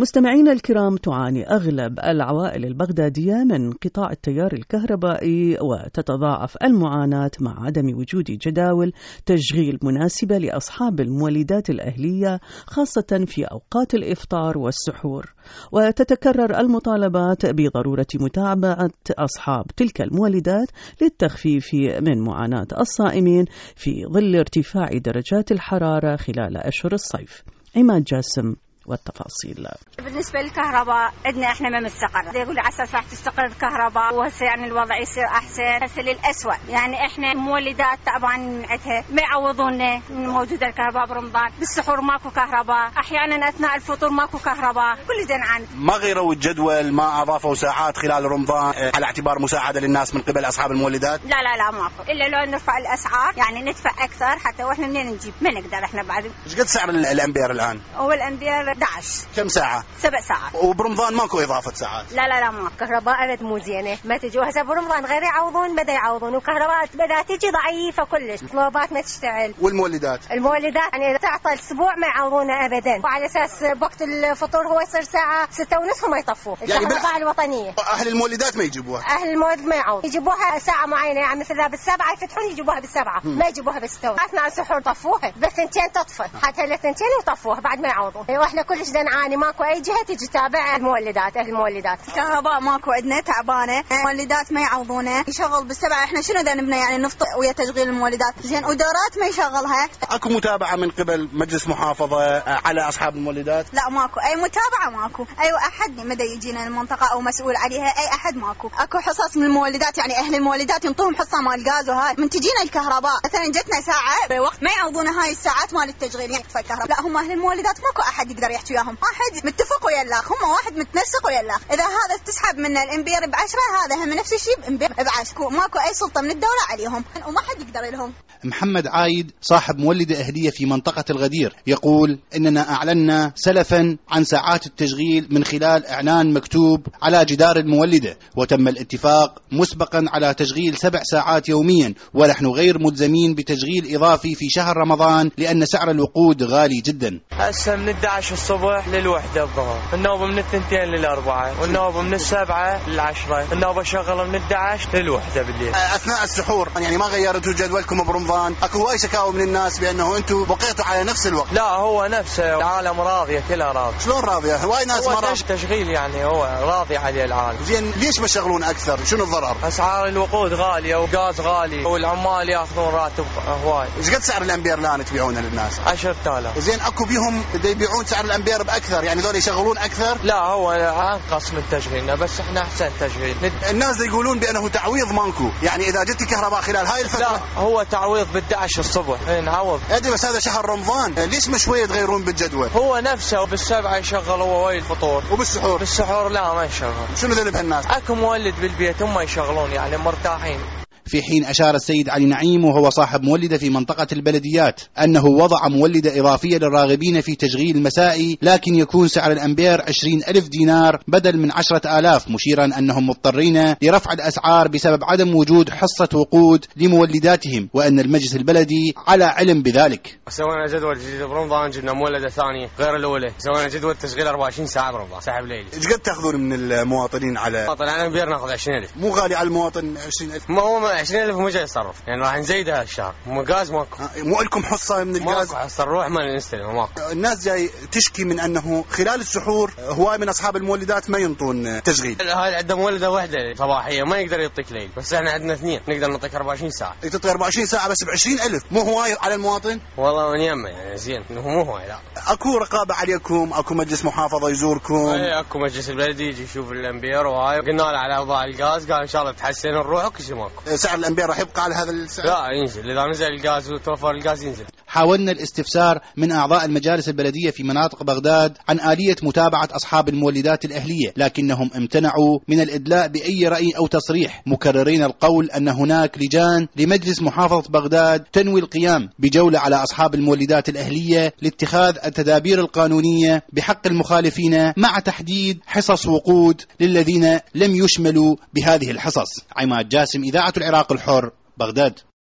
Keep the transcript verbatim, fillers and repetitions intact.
مستمعينا الكرام، تعاني أغلب العوائل البغدادية من انقطاع التيار الكهربائي، وتتضاعف المعاناة مع عدم وجود جداول تشغيل مناسبة لأصحاب المولدات الأهلية، خاصة في أوقات الإفطار والسحور. وتتكرر المطالبات بضرورة متابعة أصحاب تلك المولدات للتخفيف من معاناة الصائمين في ظل ارتفاع درجات الحرارة خلال أشهر الصيف. عماد جاسم والتفاصيل. بالنسبة للكهرباء عندنا احنا ما مستقر، يقول على اساس راح تستقر الكهرباء وهسه يعني الوضع يصير احسن، هسه للأسوأ. يعني احنا مولدات طبعا عندها ما يعوضونا موجودة الكهرباء برمضان، بالسحور ماكو كهرباء، احيانا اثناء الفطور ماكو كهرباء، كل زين عن ما غيروا الجدول، ما اضافوا ساعات خلال رمضان على اعتبار مساعدة للناس من قبل اصحاب المولدات. لا لا لا ماكو، الا لو نرفع الاسعار يعني ندفع اكثر حتى واحنا منين نجيب، ما نقدر احنا بعد. ايش قد سعر الامبير الان؟ هو الامبير أحد عشر. كم ساعة؟ سبع ساعات. وبرمضان ماكو إضافة ساعات؟ لا لا لا ماكو. كهرباء أبد مو زينة، ما تجي هسه برمضان غير يعوضون بدا يعوضون، وكهرباء بدا تجي ضعيفة كلش، طلبات ما تشتغل. والمولدات؟ المولدات يعني تعطى الأسبوع ما يعوضونه أبدا، وعلى أساس وقت الفطور هو يصير ساعة ستة ونصف وما يطفوه. يعني الكهرباء الوطنية أهل المولدات ما يجيبوها؟ أهل المولد ما يعوض، يجيبوها ساعة معينة، يعني مثلا بالسبعة يفتحون يجيبوها بالسبعة، ما يجيبوها بالستة. أثناء السحور طفوها بس ثنتين تطفى، حتى لثنتين وطفوها بعد ما يعوضون. واحنا كلش نعاني، ماكو أي جهة تجي تتابع المولدات. أهل المولدات الكهرباء ماكو عندنا تعبانة، المولدات ما يعوضونه، يشغل بالسبعة، احنا شنو ذنبنا يعني نفطر ويا تشغيل المولدات زين، ودورات ما يشغلها. اكو متابعة من قبل مجلس محافظة على اصحاب المولدات؟ لا ماكو اي متابعة، ماكو اي احد مدى يجينا المنطقة او مسؤول عليها، اي احد ماكو. اكو حصص من المولدات، يعني اهل المولدات ينطوهم حصة مال الغاز وهاي، من تجينا الكهرباء مثلا جتنا ساعة بوقت ما يعوضونا هاي الساعات مال التشغيل يعني الكهرباء. لا هم اهل المولدات ماكو احد يقدر يحكي وياهم، واحد متفق ويا الاخ، هم واحد متنسق ويا الاخ. اذا هذا تسحب منا الامبير بعشرة، هذا هم نفس الشيء بامبير بعشرة، ماكو اي سلطة من الدولة عليهم وما حد يقدر لهم. محمد عايد صاحب مولدة أهلية في منطقة الغدير يقول إننا أعلنا سلفا عن ساعات التشغيل من خلال إعلان مكتوب على جدار المولدة، وتم الاتفاق مسبقا على تشغيل سبع ساعات يوميا، ونحن غير ملزمين بتشغيل إضافي في شهر رمضان لأن سعر الوقود غالي جدا. هسه من احد عشر الصبح للوحدة الظهر، النوبة من الثنتين للأربعة، والنوبة من السبعة للعشرة، النوبة شغلة من احد عشر للوحدة بالليل. أثناء السحور يعني ما غيرتوا جدولكم برمضان؟ اكو هواي شكاوى من الناس بانه انتم بقيتوا على نفس الوقت. لا هو نفسه، العالم راضيه، كلها راضيه. شلون راضيه؟ هواي ناس ما راضيه. تشغيل يعني هو راضي عليه العالم. زين ليش بشغلون اكثر؟ شنو الضرر؟ اسعار الوقود غاليه وغاز غالي والعمال ياخذون راتب هواي. ايش قد سعر الامبير الان تبيعونه للناس؟ عشرة آلاف. زين اكو بيهم بده يبيعون سعر الامبير باكثر، يعني ذول يشغلون اكثر؟ لا هو انقص من تشغيلنا، بس احنا احسن تشغيل. الناس يقولون بانه تعويض مانكو، يعني اذا جت كهرباء خلال هاي الفتره. لا هو تعويض ب احد عشر الصبح. اي نعوض. ادري بس هذا شهر رمضان، ليش ما شويه تغيرون بالجدول؟ هو نفسه بالسبعه يشغل هو ويا الفطور. وبالسحور؟ بالسحور لا ما يشغل. شنو ذنب هالناس؟ اكو مولد بالبيت هم يشغلون يعني مرتاحين. في حين أشار السيد علي نعيم وهو صاحب مولدة في منطقة البلديات أنه وضع مولدة إضافية للراغبين في تشغيل المسائي، لكن يكون سعر الأمبير عشرين ألف دينار بدل من عشرة آلاف، مشيرا أنهم مضطرين لرفع الأسعار بسبب عدم وجود حصة وقود لمولداتهم، وأن المجلس البلدي على علم بذلك. سوينا جدول جديد برمضان، جبنا مولدة ثانية غير الأولى، سوينا جدول تشغيل أربعة وعشرين ساعة برمضان سحب ليلي. إيش قد تأخذون من المواطنين على المواطن على الأمبير؟ ناخذ عشرين ألف. مو غالي على المواطن عشرين ألف؟ ما هو عشرين ألف مو جاي يصرف، يعني راح نزيدها هالشهر. مو غاز ماكو. مو لكم حصة من الغاز؟ ماكو حصة، نروح ما نستلم ماكو. الناس جاي تشكي من أنه خلال السحور هواي من أصحاب المولدات ما ينطون تشغيل. هاي عندنا مولدة واحدة صباحية ما يقدر يعطيك ليل، بس احنا عندنا اثنين نقدر نعطيك أربعة وعشرين ساعة. تعطيك أربعة وعشرين ساعة بس ب عشرين ألف، مو هواي على المواطن؟ والله من يمه يعني زين، مو هواي لا. اكو رقابة عليكم؟ اكو مجلس محافظة يزوركم؟ اي اكو مجلس البلدي يجي يشوف الامبير وهاي، قلنا له على اوضاع الغاز قال ان شاء الله تحسن نروح وكل شيء ماكو. سعر الامبير راح يبقى على هذا السعر؟ لا ينزل، اذا نزل الغاز وتوفر الغاز ينزل. حاولنا الاستفسار من أعضاء المجالس البلدية في مناطق بغداد عن آلية متابعة أصحاب المولدات الأهلية، لكنهم امتنعوا من الإدلاء بأي رأي أو تصريح، مكررين القول أن هناك لجان لمجلس محافظة بغداد تنوي القيام بجولة على أصحاب المولدات الأهلية لاتخاذ التدابير القانونية بحق المخالفين، مع تحديد حصص وقود للذين لم يشملوا بهذه الحصص. عماد جاسم، إذاعة العراق الحر، بغداد.